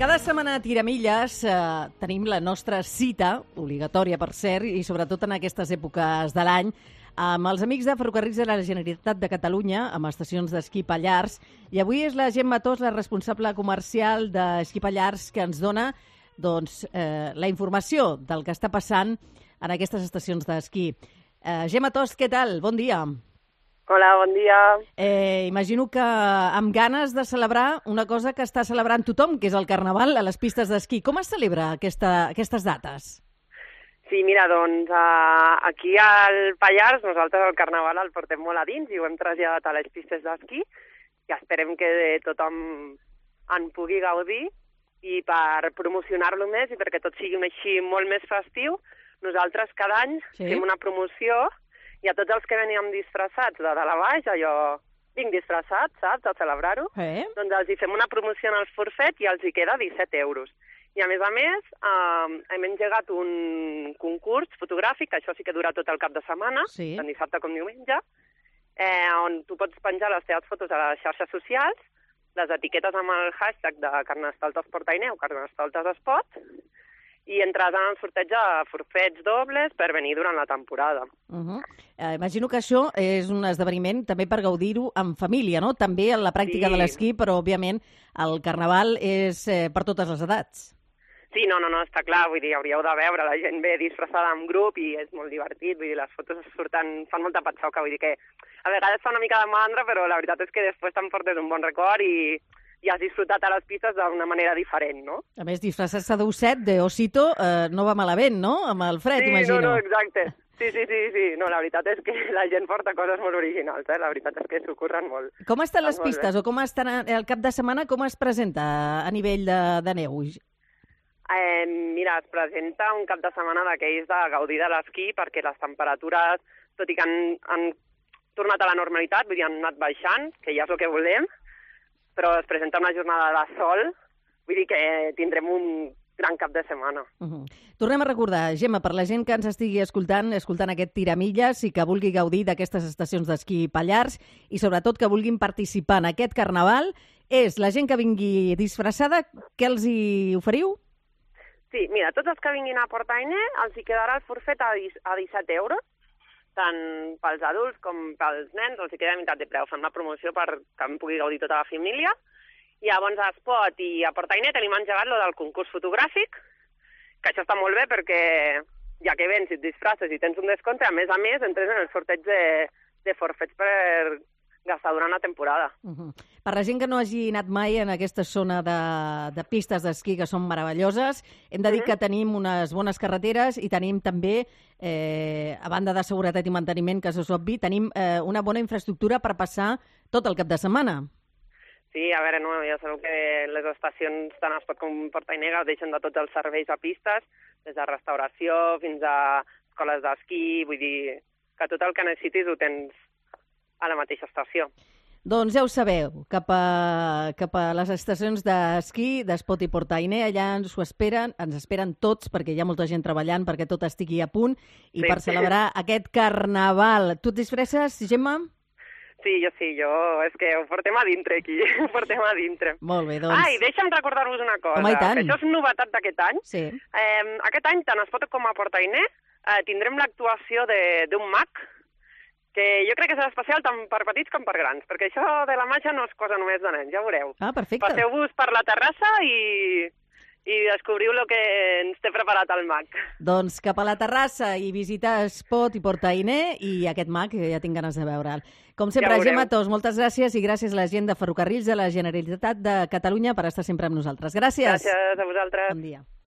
Cada setmana a Tiramilles tenim la nostra cita, obligatòria per cert, i sobretot en aquestes èpoques de l'any, amb els amics de Ferrocarrils de la Generalitat de Catalunya, amb estacions d'esquí Pallars. I avui és la Gemma Tos, la responsable comercial d'Esquí Pallars, que ens dona la informació del que està passant en aquestes estacions d'esquí. Gemma Tos, què tal? Bon dia. Hola, bon dia. Imagino que amb ganes de celebrar una cosa que està celebrant tothom, que és el Carnaval a les pistes d'esquí. Com es celebra aquestes dates? Sí, mira, doncs aquí al Pallars nosaltres el Carnaval el portem molt a dins i ho hem traslladat a les pistes d'esquí i esperem que tothom en pugui gaudir i per promocionar-lo més i perquè tot sigui així molt més festiu, nosaltres cada any fem una promoció i a tots els que veníem disfressats de dalt a baix, allò, vinc disfressat, saps, a celebrar-ho, doncs els hi fem una promoció en els forfets i els hi queda 17 euros. I a més, hem engegat un concurs fotogràfic, això sí que dura tot el cap de setmana, tant dissabte com diumenge, on tu pots penjar les teves fotos a les xarxes socials, les etiquetes amb el hashtag de Carnestoltes Portainer o Carnestoltes Espot, i entres en el sorteig de forfets dobles per venir durant la temporada. Imagino que això és un esdeveniment també per gaudir-ho en família, no? També en la pràctica de l'esquí, però òbviament el Carnaval és per totes les edats. Sí, no, està clar, vull dir, hauríeu de veure, la gent ve disfressada en grup i és molt divertit, vull dir, les fotos fan molta patxoca, vull dir que a vegades fa una mica de mandra, però la veritat és que després t'emportes un bon record i has disfrutat a les pistes d'una manera diferent, no? A més, disfressar-se d'osset, d'osito, no va malament, no? Amb el fred, imagino. Sí, no, exacte. Sí. No, la veritat és que la gent porta coses molt originals, la veritat és que s'ho curren molt. Com estan les pistes o com estan el cap de setmana, com es presenta a nivell de neu? Mira, es presenta un cap de setmana d'aquells de gaudir de l'esquí perquè les temperatures, tot i que han tornat a la normalitat, vull dir, han anat baixant, que ja és el que volem, però es presenta una jornada de sol, vull dir que tindrem un gran cap de setmana. Tornem a recordar, Gemma, per la gent que ens estigui escoltant aquest Tiramilles i que vulgui gaudir d'aquestes estacions d'esquí Pallars i sobretot que vulguin participar en aquest Carnaval, és la gent que vingui disfressada, què els hi oferiu? Sí, mira, tots els que vinguin a Portainer els hi quedarà el forfet a 17 euros, tant pels adults com pels nens, els hi queda a meitat de preu. Fem la promoció perquè en pugui gaudir tota la família. I llavors a Espot i a Portainer tenim engegat lo del concurs fotogràfic, que això està molt bé perquè ja que vens i et disfresses i tens un descompte, a més entres en el sorteig de forfets per gastar durant la temporada. Per la gent que no hagi anat mai en aquesta zona de pistes d'esquí que són meravelloses, hem de dir que tenim unes bones carreteres i tenim també, a banda de seguretat i manteniment, que és obvi, tenim una bona infraestructura per passar tot el cap de setmana. Sí, a veure, no, ja sabeu que les estacions tant Espot com Portainer deixen de tots els serveis a pistes, des de restauració fins a escoles d'esquí, vull dir que tot el que necessitis ho tens a la mateixa estació. Doncs ja ho sabeu, cap a les estacions d'esquí d'Espot i Portainer, allà ens esperen tots, perquè hi ha molta gent treballant perquè tot estigui a punt, i per celebrar aquest Carnaval. Tu et disfresses, Gemma? Sí, jo, és que ho portem a dintre aquí, ho portem a dintre. Molt bé, doncs. I deixa'm recordar-vos una cosa, i tant. que això és novetat d'aquest any. Sí. Aquest any, tant a Espot com a Portainer, tindrem l'actuació d'un mag, que jo crec que serà especial tant per petits com per grans, perquè això de la màgia no és cosa només de nens, ja ho veureu. Perfecte. Passeu-vos per la terrassa i descobriu el que ens té preparat el mag. Doncs cap a la terrassa i visitar Espot i Portainer i aquest mag, que ja tinc ganes de veure'l. Com sempre, ja Gemma Tos, moltes gràcies i gràcies a la gent de Ferrocarrils de la Generalitat de Catalunya per estar sempre amb nosaltres. Gràcies. Gràcies a vosaltres. Bon dia.